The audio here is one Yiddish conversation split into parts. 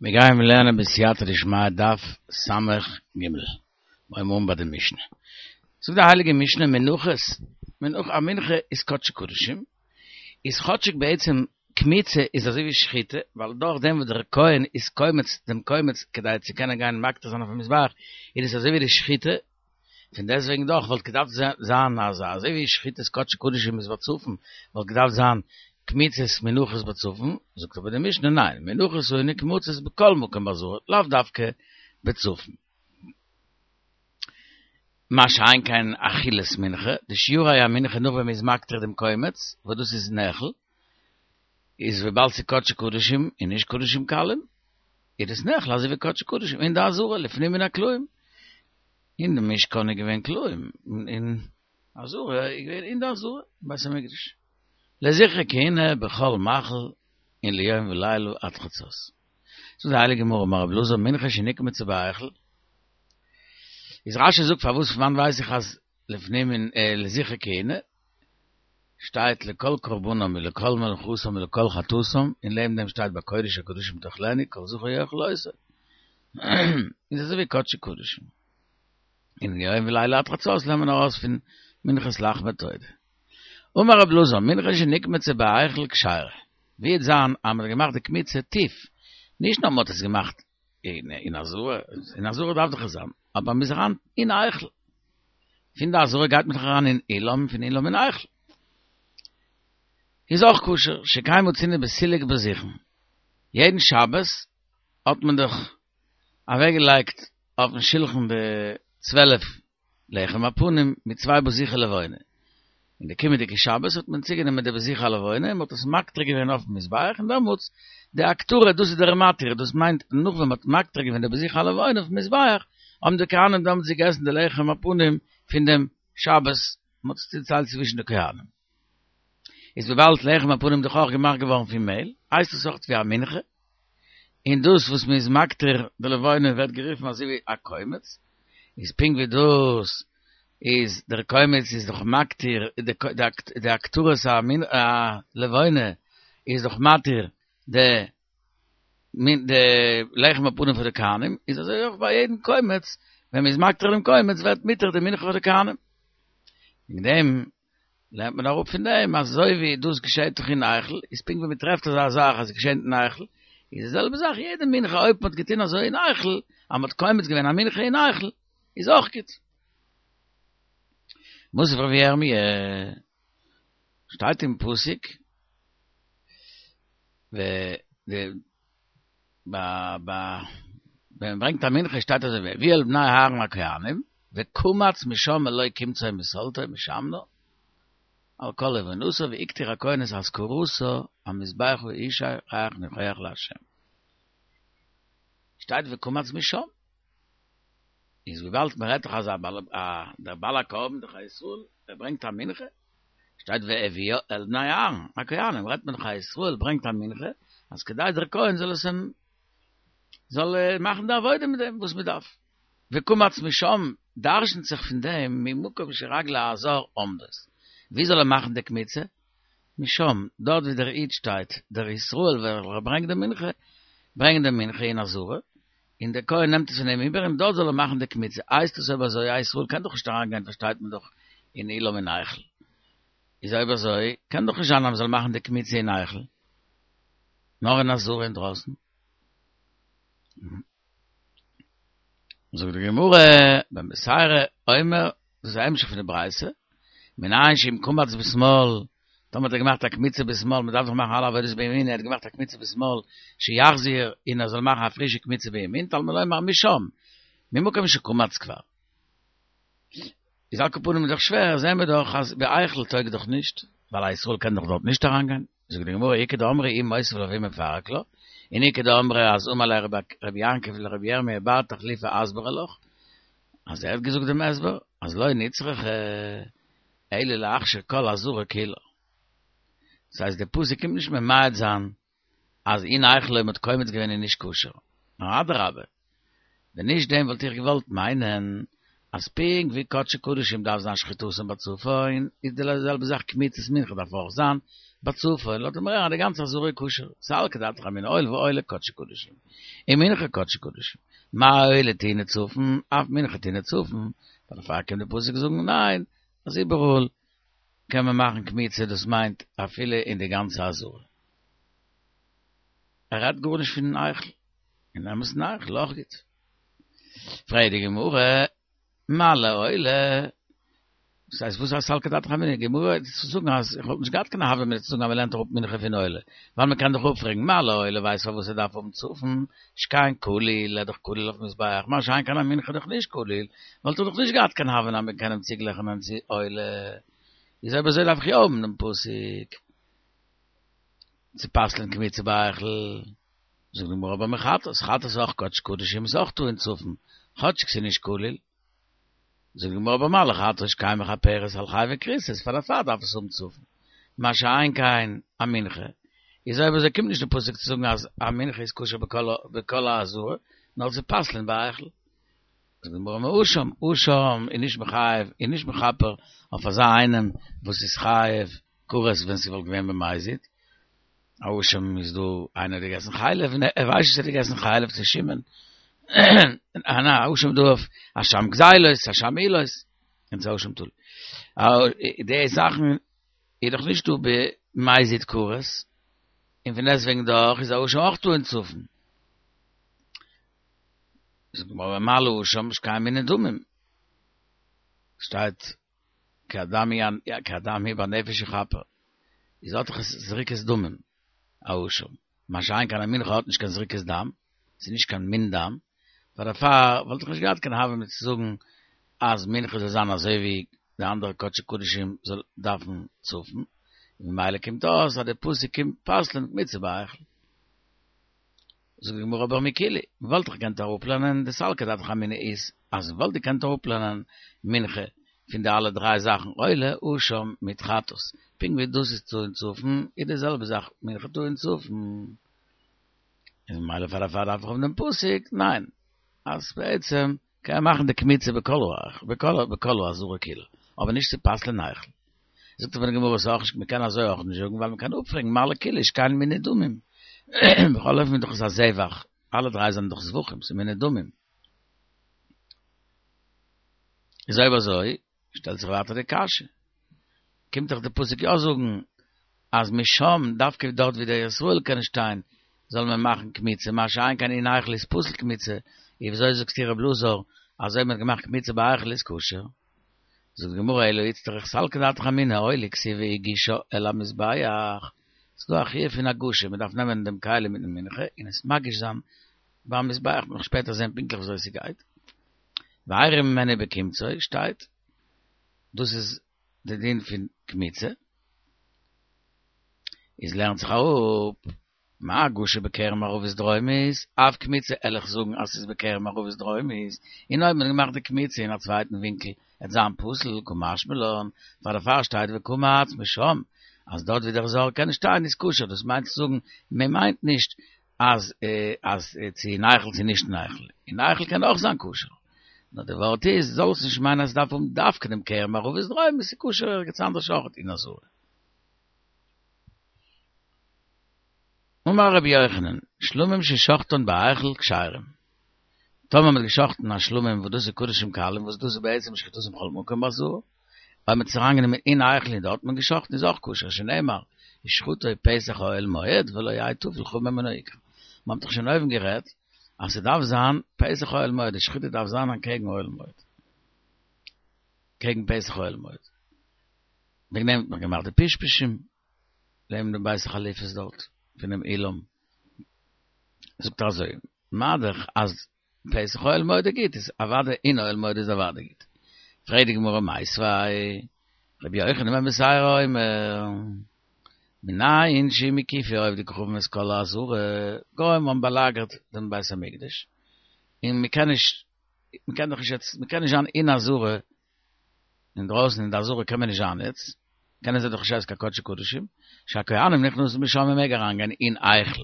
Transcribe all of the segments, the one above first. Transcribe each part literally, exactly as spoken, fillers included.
מיר גייען לערנען בסייעתא דשמיא דף סמך ג, מיר הייבן אן ביי די משנה. זאגט די הייליגע משנה מנחות, מנחה, א מנחה איז קדשי קדשים, איז כאטשיג בעצם קמיצה איז אזוי ווי שחיטה, ווייל דורך דעם וואס דער כהן איז קומץ דעם קומץ כדי צו קענען גיין מקטיר זיין אויפן מזבח, איז עס אזוי ווי די שחיטה, פון דעסטוועגן דאך וואלט געדארפט זיין אז אזוי ווי שחיטת קדשי קדשים איז בצפון, וואלט געדארפט זיין קמיצת מנחות בצפון, זאגט אבער די משנה ניין, מנחות היו נקמצות בכל מקום בעזרה, לאו דווקא בצפון. מה שאין כן אכילת מנחה, די שיורי המנחה נאך ווען מ'איז מקטיר דעם קומץ, וואס דאס איז נאכל, איז וויבאלד ס'איז קדשי קדשים און נישט קדשים קלים, איז דאס נאכל אזוי ווי קדשי קדשים אין די עזרה לפנים מן הקלעים. אין די משכן איז געווען קלעים, אין עזרה איז געווען אין די עזרה, בית המקדש. לזכרי כהונה בכל מאכל און ליום ולילה עד חצות. זאגט די הייליגע גמרא אמר רבי אלעזר מנחה שנקמצה בהיכל, איז רשי זאגט פארוואס פון וואנט ווייס איך אז לפנים מן לזכרי כהונה שטייט לכל קרבנם ולכל מנחתם ולכל חטאתם און לעבן דעם שטייט בקודש הקדשים תאכלנו כל זכר יאכל אותו איז אזוי ווי קדשי קדשים און יום ולילה עד חצות לערנט מען ארויס פון מנחת לחמי תודה. אמר רב אלעזר, מנחה שנקמצה בהיכל כשרה, ווי וועט זיין אז מען האט געמאכט די קמיצה טיף, נישט נאר מען האט עס געמאכט אין עזרה, אין עזרה דארף דאך עס זיין, אבער מען איז אריין אין היכל, פון די עזרה גייט מען דאך אריין אין אולם, פון אולם אין היכל, איז אויך כשר, שכן מצינו בסילוק בזיכין, יעדן שבת האט מען דאך אוועקגעלייגט אויפן שולחן די צוועלף לחם הפנים מיט צוויי בזיכי לבונה. און די קומענדיגע שבת האט מען צוגענומען די בזיכי הלבונה און מען האט עס מקטיר געווען אויפן מזבח און דעמאלטס די הקטרה דאס איז דער מתיר דאס מיינט נאך ווען מען האט מקטיר געווען די בזיכי הלבונה אויפן מזבח האבן די כהנים דעמאלטס געגעסן די לחם הפנים פון דעם שבת מען האט עס צוטיילט צווישן די כהנים. איז וויבאלד לחם הפנים דאך אויך געמאכט געווארן פון מעהל הייסט עס אויך ווי א מנחה און דאס וואס מען איז מקטיר די לבונה ווערט גערופן אזוי ווי א קומץ, איז פונקט ווי דאס איז דער קומץ איז דאך מקטיר די הקטרת הלבונה איז דאך מתיר די די לחם הפנים פאר די כהנים, איז אזוי אויך ביי יעדן קומץ ווען מען איז מקטיר דעם קומץ ווערט מותר די מנחה פאר די כהנים. וועגן דעם לערנט מען אראפ פון דעם אז אזוי ווי דאס געשעט דאך אין היכל, איז פונקט ווי מען טרעפט אזא זאך אז עס געשעט אין היכל, איז די זעלבע זאך יעדע מנחה אויב מען האט געטון אזוי אין היכל, אז מען האט קומץ געווען א מנחה אין היכל, איז אויך גוט. מתיב רבי ירמי', שטייט אין פסוק, ו די ביי ביי ווען מען ברענגט א מנחה שטייט אזוי והביאו אל בני אהרן הכהנים וקמץ משם מלא קומצו מסלתו משמנה על כל לבונתה והקטיר הכהן את אזכרתה המזבחה אשה ריח ניחוח לה' שטייט וקמץ משם איז וויבאלד מען רעדט דאך אז דער בעל הקרבן דאך א ישראל ער ברענגט א מנחה שטייט והביאו אל בני אהרן הכהנים רעדט מען דאך א ישראל ברענגט א מנחה אז כדי דער כהן זאל עס אים זאל מאכן די עבודה מיט דעם וואס מען דארף וקמץ משם דרשנ'ט זיך פון דעם ממקום שרגלי הזר עומדות ווי זאל ער מאכן די קמיצה משם דארט ווי דער איד שטייט דער ישראל וועלכער ברענגט די מנחה ברענגט די מנחה אין עזרה און דער כהן נעמט עס פון אים איבער און דארט זאל ער מאכן די קמיצה, הייסט עס אויב אזוי א ישראל קען דאך נישט אריין גיין פארשטייט מען דאך אין אולם אין היכל, איז אויב אזוי קען דאך נישט זיין אז מען זאל מאכן די קמיצה אין היכל, נאר אין עזרה אינדרויסן. זאגט די גמרא, בן בתירא אומר, דאס איז א המשך פון די ברייתא, מנין שאם קמץ בשמאל, טאמער האט ער געמאכט א קמיצה בשמאל, מען דארף דאך מאכן אלע עבודות בימין, ער האט געמאכט א קמיצה בשמאל, שיחזיר, און ער זאל מאכן א פרישע קמיצה בימין, תלמוד לומר משם, ממקום שקמץ כבר. איז על כל פנים איז דאך שווער, זעהן מיר דאך אז בהיכל טויג דאך נישט, ווייל א ישראל קען דאך דארט נישט אריינגיין. זאגט די גמרא, איכא דאמרי הוא מותיב לה והיא מפרק לה, און איכא דאמרי אז אמר ליה רבי יעקב לרבי ירמי' בר תחליפא אסברא לך, אז ער האט געזאגט דעם הסבר, אז לא נצרכה אלא להכשיר כל עזרה כולה. דאס הייסט די פסוק קומט נישט ממעט זיין אז אין היכל אויב מ'האט קומץ געווען איז נישט כשר, נאר אדרבה, ווען נישט דעם וואלט איך געוואלט מיינען אז פונקט ווי קדשי קדשים דארף זיין שחיטתן בצפון, איז די זעלבע זאך קמיצת מנחה דארף אויך זיין בצפון, לאזט ער מיר הערן אז די גאנצע עזרה איז כשר, סלקא דעתך אמינא הואיל ועולה קדשי קדשים, און מנחה קדשי קדשים, מה עולה טעונה צפון, אף מנחה טעונה צפון, דערפאר קומט די פסוק זאגן ניין, אז איבעראל קען מען מאכן קמיצה דאס מיינט אפילו אין די גאנצע עזרה. ער רעדט גארנישט פון היכל, אין אמת'ן היכל אויך גוט. פרעגט די גמרא, מה לעולה? דאס הייסט וואס הייסט סלקא דעתך אמינא? די גמרא צו זאגן אז איך וואלט נישט געהאט קיין הוה אמינא צו זאגן אז מען לערנט אראפ מנחה פון עולה, ווייל מען קען דאך אפפרעגן מה לעולה ווייסט פארוואס ער דארף האבן צפון, שכן כליל, ער איז דאך כליל אויפן מזבח, מה שאין כן א מנחה דאך נישט כליל, וואלט ער דאך נישט געהאט קיין הוה אמינא אז מען קען אים צוגלייכענען צו עולה, איז אויב אזוי דארף איך יא האבן דעם פסוק צו פסל'ען קמיצה בהיכל. זאגט די גמרא אבער מחטאת, חטאת איז אויך קדש קדשים איז אויך טעון צפון, כאטשיג ס'איז נישט כליל. זאגט די גמרא אבער מה לחטאת שכן מכפרת על חייבי כריתות, פאר דערפאר דארף עס האבן צפון. מה שאין כן א מנחה, איז אויב אזוי קומט נישט די פסוק צו זאגן אז א מנחה איז כשר בכל העזרה, נאר צו פסל'ען בהיכל. זאגט די גמרא מאשם, אשם איז נישט מחייב, איז נישט מכפר אויף אזא איינעם וואס איז חייב כרת ווען ס'וואלט געווען במזיד. א אשם איז דא איינער האט געגעסן חלב און ער ווייסט נישט ער האט געגעסן חלב צו שמן און א אשם דא אויף אשם גזילות אשם מעילות און צו אשם תלוי די זאכן איז דאך נישט דא במזיד כרת און פון דעסטוועגן דאך איז א אשם אויך טעון צפון זאגט די גמרא מה לאשם שכן מינוי דמים שטייט כי הדם הוא כי הדם הוא בנפש יכפר איז האט דאך עס זריקת דמים א אשם, מה שאין כן א מנחה האט נישט קיין זריקת דם, ס'איז נישט קיין מין דם, פאר דערפאר וואלט איך נישט געהאט קיין הוה אמינא צו זאגן אז מנחה זאל זיין אזוי ווי די אנדערע קדשי קדשים זאל דארפן צפון, ממילא קומט אויס אז די פסוק קומט פסל'ען קמיצה בהיכל. זאגט די גמרא אבער מכולהו, מ'וואלט דאך געקענט אראפלערנען די סלקא דעתך אמינא איז אז מ'וואלט געקענט אראפלערנען מנחה פון די אלע דריי זאכן עולה אשם מיט חטאת, פונקט ווי דאס איז טעון צפון איז די זעלבע זאך מנחה טעון צפון, איז ממילא פאר דערפאר דארף איך האבן דעם פסוק, ניין, אז בעצם קען מען מאכן די קמיצה בכל בכל בכל העזרה כולה, אבער נישט צו פסל'ען היכל. זאגט אבער די גמרא ס'איז אויך נישט, מ'קען אזוי אויך נישט זאגן ווייל מ'קען אפפרעגן מה לכולהו שכן מינוי דמים, בכל אופן איז דאך עס א זבח, אלע דריי זענען דאך זבחים, ס'איז מינוי דמים. איז אויב אזוי שטעלט זיך ווייטער די קשיא, קומט דאך די פסוק יא זאגן אז משם, דווקא דארט ווי דער ישראל קען שטיין, זאל מען מאכן קמיצה, מה שאין כן אין היכל איז פסול קמיצה, איז וויאזוי זאגסטו רב אלעזר אז אויב מען האט געמאכט קמיצה בהיכל איז כשר? זאגט די גמרא אלא איצטריך סלקא דעתך אמינא עולה כתיב והגישה אל המזבח, ס'איז דא א חיוב פון הגשה, מען דארף נעמען דעם כלי מיטן מנחה און עס מגיש זיין ביים מזבח, מ'וועט נאך שפעטער זען פונקטליך וויאזוי ס'גייט. והרים ממנו בקמצו שטייט, דאס איז די דין פון קמיצה, איז לערנט זיך אראפ, מה הגשה בקרן מערבית דרומית, אף קמיצה על איך זאגן אז ס'איז בקרן מערבית דרומית, און אויב מ'האט געמאכט די קמיצה אין א צווייטן ווינקל עט זיין פסול, קא משמע לן, פאר דערפאר שטייט וקמץ משם, אז דארט ווי דער זר קען שטיין איז כשר, דאס מיינט צו זאגן מען מיינט נישט אז אז צו אין היכל צו נישט אין היכל, אין היכל קען אויך זיין כשר, נאר די ווארט איז זאלסט נישט מיינען אז ס'דארף האבן דווקא דעם קרן מערבית דרומית, ס'איז כשר ערגעץ אנדערש אויך אין עזרה. אמר רבי יוחנן, שלמים ששחטן בהיכל כשרים. טאמער מ'האט געשחטן א שלמים וואס דאס איז קדשים קלים וואס דאס איז בעצם שחיטתן בכל מקום בעזרה, אויב מ'האט עס אריינגענומען אין היכל און דארט האט מען געשחטן איז אויך כשר, שנאמר ושחטו פתח האהל מועד ולא יהא טפל לך ממנו עיקר. מ'האט דאך שוין אויבן גערעדט אז ס'דארף זיין פתח אוהל מועד, די שחיטה דארף זיין אנטקעגן אוהל מועד. קעגן פתח אוהל מועד. וועגן דעם האט מען געמאכט די פשפשים. לעבן דעם בית החליפות דארט פונעם אולם, זאגט ער אזוי, מה דאך אז פתח אוהל מועד איז גוט, איז אוודאי אין אוהל מועד איז אוודאי גוט. פרעגט די גמרא מיתיבי, רבי יוחנן בן בתירא אומר, מנין שאם הקיפו עובדי כוכבים את כל העזרה, גוים האבן באלאגערט דעם בית המקדש, און מען קען נישט, מען קען דאך נישט יעצט, מען קען נישט זיין אין עזרה אינדרויסן אין די עזרה קען מען נישט זיין יעצט, קענען זיי דאך נישט עסן קיין קדשי קדשים, שהכהנים נכנסים משם מען מעג אריינגיין אין היכל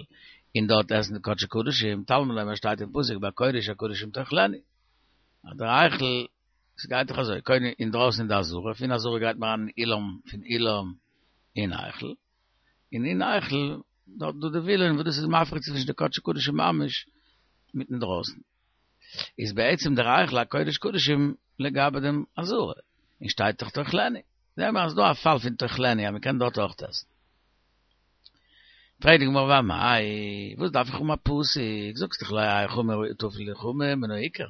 און דארט עסן די קדשי קדשים, תלמוד לומר שטייט אין פסוק בקודש הקדשים תאכלנו, אז דער היכל עס גייט דאך אזוי, קודם אינדרויסן אין די עזרה, פון עזרה גייט מען אריין אין אולם, פון אולם אין היכל, און אין היכל דארט דא די וילון וואס דאס איז מפריד צווישן די קדשי קדשים ממש מיטן דרויסן. איז בעצם דער היכל א קודש קדשים לגבי דעם עזרה, און שטייט דאך תאכלנו. זעהן מיר אז ס'דא א פאל פון תאכלנו אז מ'קען דארט אויך עסן. פרעגט די גמרא ואמאי, וואס דארף איך האבן א פסוק, זאגסט דאך לא יהא חמור טפל לחמור מן העיקר,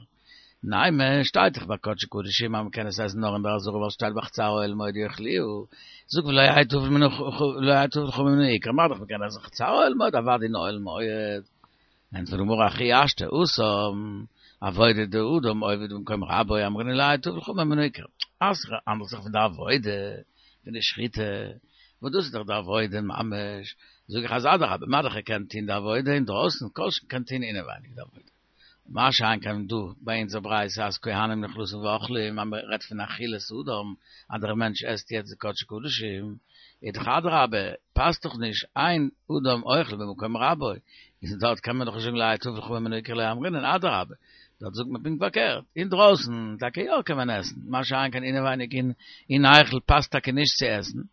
נימא, שטייט דאך ביי קדשי קדשים אז מ'קען עס עסן נאר אין דער עזרה ווייל ס'שטייט בחצר אוהל מועד יאכלוהו, זאג ולא יהא טפל מן ולא יהא טפל לחמור מן העיקר, מה דאך מ'קען עסן חצר אוהל מועד אוודאי אין אוהל מועד. ענטפערט די גמרא הכי השתא התם עבודה דאדם עובד במקום רבו אמרינן לא יהא טפל חמור מן העיקר, אז ס'האנדלט זיך פון די עבודה פון די שחיטה, וואס דאס איז דאך די עבודה ממש, זאג איך אז אדרבה, מה דאך ער קען טוהן די עבודה אינדרויסן, כל שכן קען טוהן אינעווייניג די עבודה. מה שאין כן דא ביי אונזער ברייתא אז כהנים נכנסים ואוכלים, אז מען רעדט פון אכילת אדם, אז דער מענטש עסט יעצט די קדשי קדשים, איז דאך אדרבה, פאסט דאך נישט אין אדם אוכל במקום רבו, איז דארט קען מען דאך נישט זאגן לא יהא טפל חמור מן העיקר לא אמרינן, אדרבה, דארט זאגט מען פונקט פארקערט, אינדרויסן טאקע יא קען מען עסן, מה שאין כן אינעווייניג אין היכל פאסט טאקע נישט צו עסן, און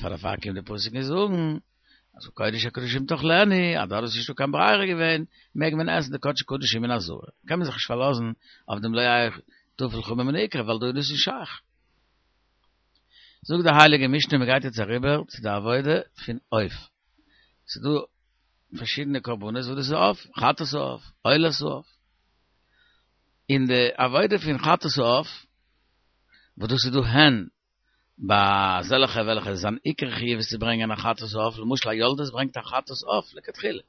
פאר דערפאר קומט די פסוק און זאגן אז בקודש הקדשים תאכלנו, אז דארט איז נישטא קיין ברירה געווען, מעג מען עסן די קדשי קדשים אין עזרה, קען מען זיך נישט פארלאזן אויף דעם לא יהא טפל חמור מן העיקר ווייל דא איז דאס נישט שייך. זאגט די הייליגע משנה מען גייט יעצט אריבער צו די עבודה פון עוף, ס'איז דא פארשידענע קרבנות וואס דאס איז עוף, חטאת העוף, עולת העוף, אין די עבודה פון חטאת העוף וואס דאס איז דא הן ביי אזעלכע וועלכע זיין עיקר חיוב איז צו ברענגען א חטאת העוף, למשל א יולדת ברענגט א חטאת עוף לכתחילה,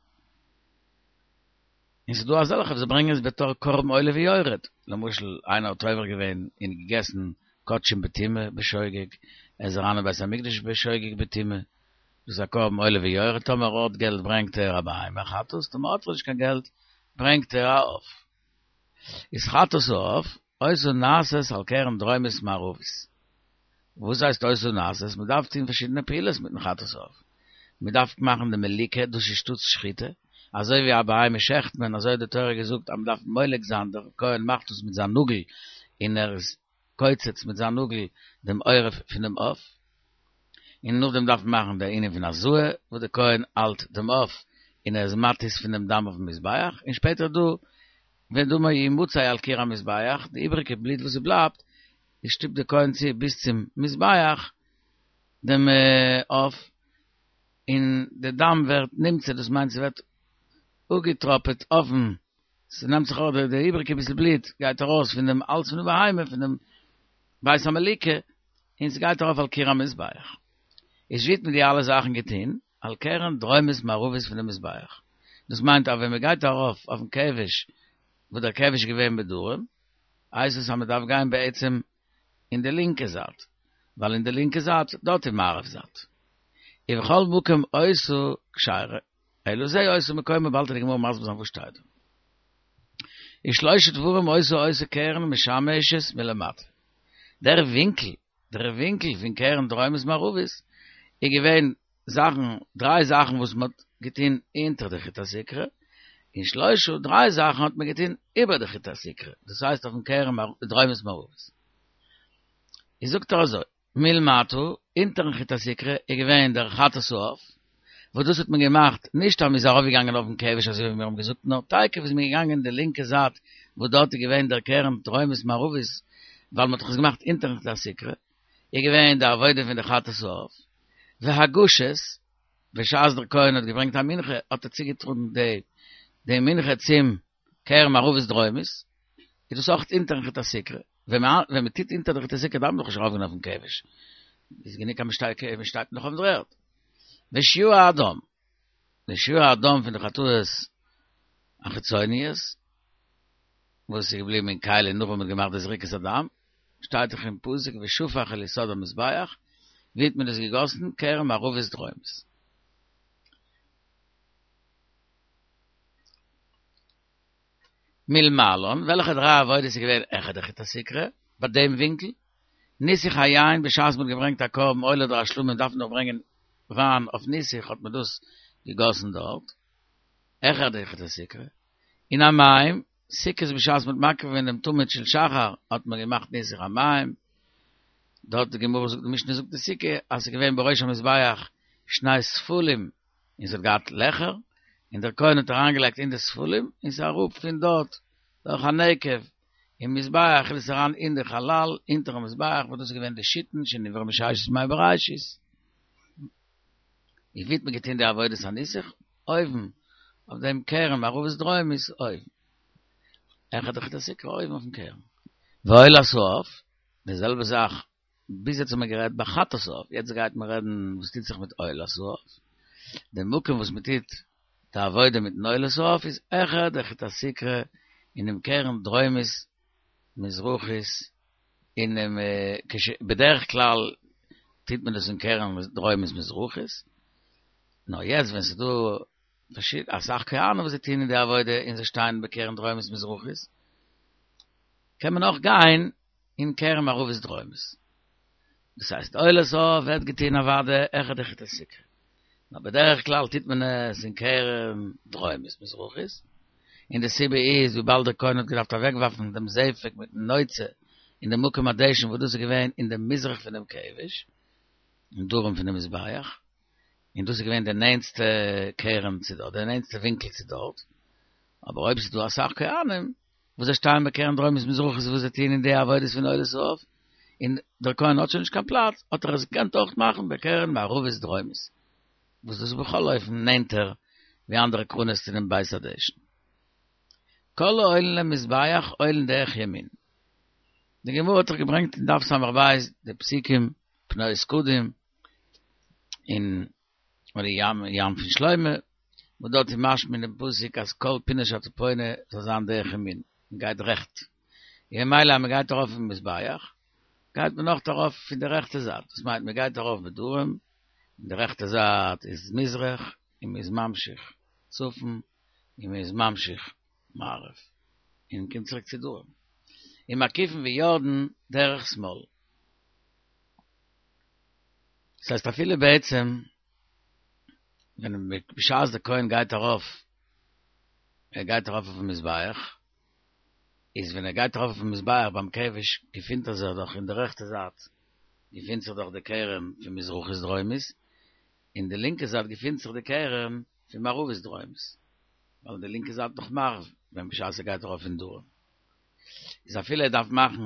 און ס'איז דא אזעלכע וואס ברענגען עס בתור קרבן עולה ויורד, למשל איינער האט עובר געווען און געגעסן קדשים בטומאה בשוגג, ער איז אריין אין בית המקדש בשוגג בטומאה, דאס איז א קרבן עולה ויורד, טאמער ער האט געלט ברענגט ער א בהמה חטאת, טאמער האט ער נישט קיין געלט ברענגט ער א עוף. איז חטאת העוף היתה נעשית על קרן דרומית מערבית. וואס הייסט היתה נעשית? מען דארף טון פארשידענע פעולות מיטן חטאת העוף. מען דארף מאכן די מליקה, דאס איז שטאטס שחיטה, אזוי ווי א בהמה שעכט מען, אזוי האט די תורה געזאגט אז מען דארף מולק זיין, דער כהן מאכט דאס מיט זיין נאגל, און ער איז קוצץ מיט זיין נאגל דעם עורף פונעם עוף, און נאכדעם דארף מען מאכן די ענין פון הזאה, וואס דער כהן האלט דעם עוף און ער איז מתיז פון דעם דם אויפן מזבח, און שפעטער דא ודמו ימצא על קיר המזבח, די איבעריגע בלוט וואס ס'בלייבט, שטופט דער כהן צו ביז צום מזבח דעם עוף, און די דם ווערט נמצא, דאס מיינט ס'ווערט אפגעטראפעט אויפן, ס'נעמט זיך אויך די איבעריגע ביסל בלוט גייט ארויס פון דעם האלז פון די בהמה, פון דעם בית המליקה, און ס'גייט ארויף על קיר המזבח. איז ווי האט מען די אלע זאכן געטון? על קרן דרומית מערבית פון די מזבח. דאס מיינט אז ווען מ'גייט ארויף אויפן כבש, וואס דער כבש איז געווען בדרום, הייסט עס אז מ'דארף גיין בעצם אין די לינקע זייט, ווייל אין די לינקע זייט, דארט איז מערב זייט. ובכל מקום היתה כשרה, אלא זה היתה מקומה, באלד וועט די גמרא מסביר זיין וואס שטייט דא. ושלושה דברים היתה עושה קרן משמשת מלמטה. דער ווינקל, דער ווינקל פון קרן דרומית מערבית איז געווען זאכן, דריי זאכן וואס מען האט געטון אונטער די חוט הסיקרא, און שלושה, דריי זאכן האט מען געטון איבער די חוט הסיקרא, דאס הייסט אויפן קרן דרומית מערבית. איז זאגט ער אזוי, מלמטה, אונטערן חוט הסיקרא איז געווען דער חטאת העוף, וואס דאס האט מען געמאכט נישט אז מען איז ארויפגעגאנגען אויפן כבש אזוי ווי מיר האבן געזאגט, נאר תיכף איז מען געגאנגען די לינקע זייט וואס דארט איז געווען דער קרן דרומית מערבית, ווייל מען האט דאך עס געמאכט אונטערן חוט הסיקרא, איז געווען די עבודה פון די חטאת העוף, והגשת, בשעת דער כהן האט געברענגט א מנחה האט ער צוגעטראגן די די מנחה צום קרן מערבית דרומית, איז דאס אויך אונטערן חוט הסיקרא, ווען מען טוט אונטער די חוט הסיקרא דארף מען דאך נישט ארויפגיין אויפן כבש, איז גענוג אז מען שטייט נאך אויפן דר'ערד. ושיורי הדם, די שיורי הדם פון די חטאות החיצוניות, וואס איז געבליבן אין כלי נאך ווען מען האט געמאכט די זריקת הדם, שטייט דאך אין פסוק ושפך אל יסוד המזבח, ווי האט מען דאס געגאסן? קרן מערבית דרומית. מלמעלן, וועלכע דריי עבודות איז געווען העכער די חוט הסיקרא, ביי דעם ווינקל? ניסוך היין, בשעת מען האט געברענגט א קרבן עולה אדער א שלמים דארף מען דאך ברענגען וויין אויף ניסוך האט מען דאס געגאסן דארט, העכער די חוט הסיקרא, און המים, סוכות בשעת מ'האט מקריב געווען דעם תמיד של שחר האט מען געמאכט ניסוך המים, דארט די גמרא זאגט די משנה זאגט אין סוכה אז ס'איז געווען בראש המזבח שני ספלים און ס'האט געהאט לעכער, און דער כהן האט אריינגעלייגט אין די ספלים און ס'איז אראפ פון דארט דורך א נקב אין מזבח איז עס אריין אין די חלל אונטערן מזבח וואס דאס איז געווען די שיתין שנבראו מששת ימי בראשית. און ווי האט מען געטון די עבודת הניסוך? אויבן אויף דעם קרן מערבית דרומית אויבן. העכער די חוט הסיקרא אויבן אויפן קרן. ועולת העוף, די זעלבע זאך, ביז יעצט האט מען גערעדט ביי חטאת העוף, יעצט גייט מען רעדן וואס טוט זיך מיט עולת העוף. די מקום וואס מען טוט די עבודה מיטן עולת העוף איז העכער די חוט הסיקרא אינעם קרן דרומית מזרחית אינעם כש בדרך כלל טוט מען דאס אין קרן דרומית מזרחית, נאר יעצט ווען ס'איז דא אסאך כהנים וואס זיי טוען אין די עבודה און זיי שטייען בקרן דרומית מזרחית, קען מען אויך גיין אין קרן מערבית דרומית. דאס הייסט עולת העוף ווערט געטון אוודאי העכער די חוט הסיקרא, נאר בדרך כלל טוט מען עס אין קרן דרומית מזרחית, און די סיבה איז וויבאלד דער כהן האט געדארפט אוועקווארפן דעם זפק מיטן נוצה אין דעם מקום הדשן וואס דאס איז געווען אין דעם מזרח פונעם כבש, אין דרום פונעם מזבח, און דאס איז געווען די נענטסטע קרן צו דארט, די נענטסטע ווינקל צו דארט, אבער אויב ס'איז דא אסאך כהנים וואס זיי שטייען בקרן דרומית מזרחית וואס זיי טוען אין די עבודות פון עולת העוף, און דער כהן האט שוין נישט קיין פלאץ, האט ער עס געקענט אויך מאכן בקרן מערבית דרומית, וואס דאס איז בכל אופן נענטער ווי אנדערע קרנות צו דעם בית הדשן. כל העולין למזבח עולין דרך ימין. די גמרא האט דאך געברענגט אין דף ס"ב די פסוקים פנות קדים און און די ים ים פון שלמה, וואס דארט איז משמע אין דעם פסוק אז כל פינה שאתה פונה זאל זיין דרך ימין, מען גייט רעכט, און ממילא אז מען גייט ארויף אין מזבח גייט מען אויך ארויף פון די רעכטע זייט, דאס מיינט מען גייט ארויף בדרום, און די רעכטע זייט איז מזרח, און מען איז ממשיך צפון, און מען איז ממשיך מערב, און מען קומט צוריק צו דרום, און מקיפין ויורדין דרך שמאל. דאס הייסט אפילו בעצם ווען בשעת דער כהן גייט ארויף, ער גייט ארויף אויפן מזבח, איז ווען ער גייט ארויף אויפן מזבח ביים כבש געפינט ער זיך דאך אין די רעכטע זייט געפינט זיך דאך די קרן פון מזרחית דרומית, אין די לינקע זייט געפינט זיך די קרן פון מערבית דרומית, ווייל די לינקע זייט נאך מערב ווען בשעת ער גייט ארויף אין דרום איז אפילו ער דארף מאכן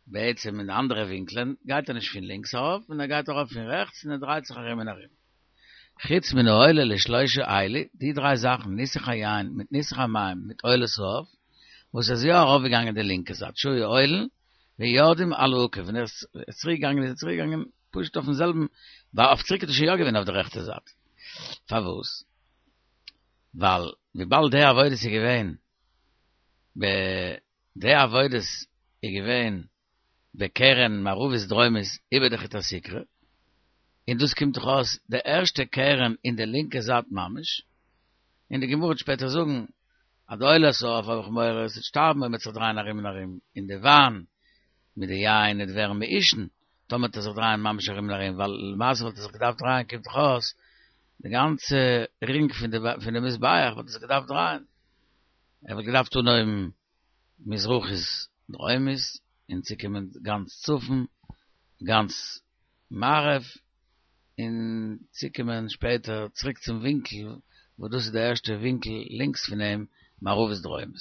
בעצם אין די אנדערע ווינקלען גייט ער נישט פון לינקס ארויף און ער גייט ארויף פון רעכטס און ער דרייט זיך ארום און ארום. חוץ מן העולה לשלושה אלו, די דריי זאכן ניסוך היין מיט ניסוך המים מיט עולת העוף, וואס איז יא ארויפגעגאנגען די לינקע זייט שהיו עולין ויורדים על העקב ווען ער איז צוריק געגאנגען איז ער צוריק געגאנגען פשוט אויפן זעלבן ווייל אויף צוריק איז ער שוין יא געווען אויף די רעכטע זייט פארוואס ווייל וויבאלד די עבודות איז געווען ב די עבודות איז געווען בקרן מערבית דרומית איבער די חוט הסיקרא, און דאס קומט דאך אויס די ערשטע קרן אין די לינקע זייט ממש, און די גמרא וועט שפעטער זאגן אז די עולת העוף האב איך מורא עס וועט שטארבן אויב מען וועט זיך דרייען ארום און ארום, און די וויין מיט די יין וועט ווערן מעושן טאמער וועט ער זיך דרייען ממש ארום און ארום, ווייל למעשה וואלט ער זיך געדארפט דרייען קומט דאך אויס די גאנצע רינג פון די פון די מזבח וואלט ער זיך געדארפט דרייען, ער וואלט געדארפט אנהויבן מזרחית דרומית און צוקומען גאנץ צפון, גאנץ מערב, און צוקומען שפעטער צוריק צום ווינקל וואס דאס איז די ערשטע ווינקל לינקס פון אים, מערבית דרומית.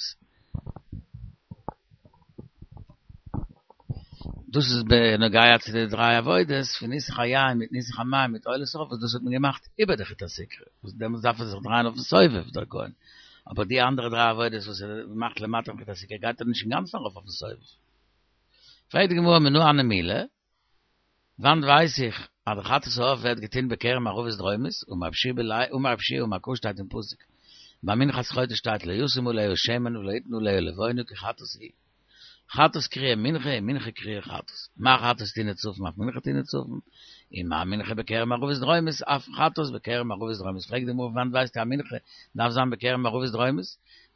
דאס איז בנוגע צו די דריי עבודות פון ניסוך היין מיט ניסוך המים מיט עולת העוף וואס דאס האט מען געמאכט איבער די חוט הסיקרא וואס דעמאלטס דארף ער זיך דרייען אויפן סובב דער כהן, אבער די אנדערע דריי עבודות וואס ער מאכט למטה פון חוט הסיקרא גייט ער נישט אינגאנצן ארויף אויפן סובב. פרעגט די גמרא מנא הני מילי, וואנעט ווייס איך אז די חטאת העוף ווערט געטון בקרן מערבית דרומית, אמר רב שיע אמר קרא שטייט אין פסוק ביי מנחת חוטא שטייט לא ישים עליה שמן ולא יתן עליה לבונה כי חטאת היא, חטאת קרויה מנחה און מנחה קרויה חטאת, מה חטאת טעונה צפון אף מנחה טעונה צפון, און מה מנחה בקרן מערבית דרומית אף חטאת בקרן מערבית דרומית, פרעגט די גמרא פון וואנעט ווייסטו אז מנחה דארף זיין בקרן מערבית דרומית,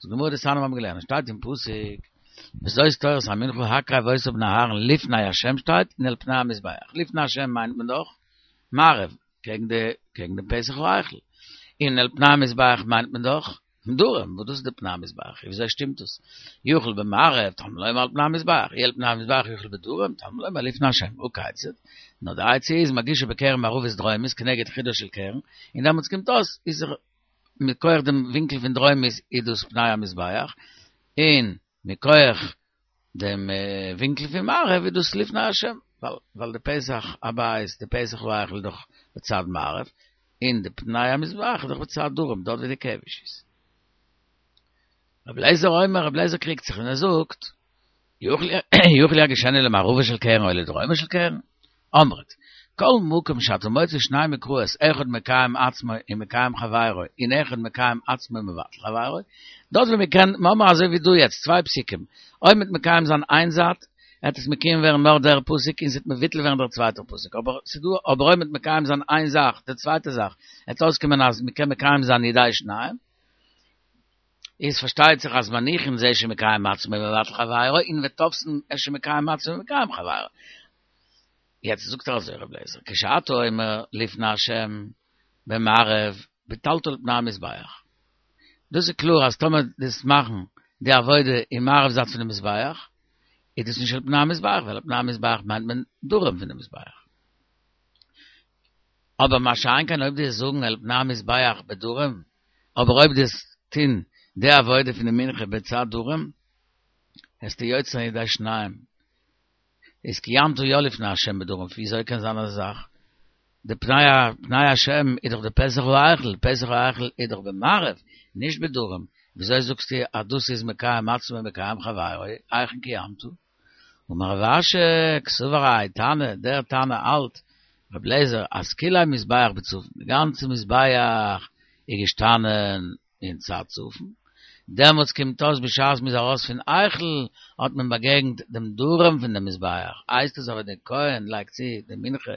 זאגט די גמרא דתניא מיר האבן געלערנט שטייט אין פסוק וזאת תורת המנחה הקרב אותה בני אהרן לפני השם שטייט און אל פני המזבח, לפני השם מיינט מען דאך מערב קעגן די קעגן דעם פתח ההיכל, און אל פני המזבח מיינט מען דאך דרום, וואס דאס איז די פני המזבח, וויאזוי שטימט דאס? יוכל במערב, תלמוד לומר על פני המזבח, אי על פני המזבח יוכל בדרום, תלמוד לומר לפני השם, הא כיצד? נאר די עצה איז מגישה בקרן מערבית דרומית כנגד חודה של קרן, און דעמאלטס קומט אויס איז ער מכח דעם ווינקל פון דרומית איז דאס פני המזבח, און מכח דעם ווינקל פון מערב איז דאס לפני השם, ווייל די פתח הבית, די פתח ההיכל איז דאך בצד מערב, און די פני המזבח איז דאך בצד דרום, דארט ווי די כבש איז. רבי אליעזר אומר, רבי אליעזר קריגט זיך און ער זאגט, יוכל יגישנה למערבה של קרן או לדרומה של קרן? אמרת, כל מקום שאתה מוצא שניים מקראות, אחד מקיים עצמו ומקיים חברו, און אחד מקיים עצמו ומבטל חברו, דארט ווי מ'קען, מ'האמער אזוי ווי דא יעצט, צוויי פסוקים, אויב מ'וועט מקיים זיין איין זייט, וועט עס מקיים ווערן נאר דער פסוק און ס'וועט מבוטל ווערן דער צווייטער פסוק, אבער ס'דא, אבער אויב מ'וועט מקיים זיין איין זאך, די צווייטע זאך, וועט אויסקומען אז מ'קען מקיים זיין ידי שניים, איז פארשטייט זיך אז מניחין זה שמקיים עצמו ומבטל חברו, און ותופסין את שמקיים עצמו ומקיים חברו. יעצט זאגט ער אזוי רבי אליעזר, כשאתה אומר לפני השם במערב ביטלת לפני המזבח. דאס איז קלאר אז טאמער דו'סט מאכן די עבודה אין מערב זייט פונעם מזבח, איז דאס נישט על פני המזבח, ווייל על פני המזבח מיינט מען דרום פונעם מזבח. אבער מה שאין כן אויב דו'סט זאגן על פני המזבח בדרום, אבער אויב דו'סט טון די עבודה פון די מנחה בצד דרום, וועסטו יוצא זיין ידי שניים. איז קיימת יא לפני השם בדרום, וויאזוי קען זיין אזא זאך? די פני פני השם איז דאך די פתח ההיכל, פתח ההיכל איז דאך במערב, נישט בדרום, וויאזוי זאגסטו אז דאס איז מקיים עצמו ומקיים חברו, היכן קיימת? אמר רב אשי, קסבר האי תנא, דער תנא האלט, רבי אליעזר, אז כולי מזבח בצפון, די גאנצע מזבח איז געשטאנען אין צד צפון, דעמאלטס קומט אויס בשעת מ'איז ארויס פון היכל האט מען באגעגנט דעם דרום פון דעם מזבח, הייסט עס אבער דער כהן לייגט צו די מנחה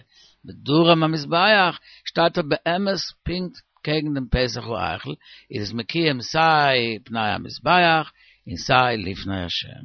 בדרום המזבח, שטייט ער באמת פונקט קעגן דעם פתח ההיכל, איז עס מקיים סיי פני המזבח און סיי לפני השם.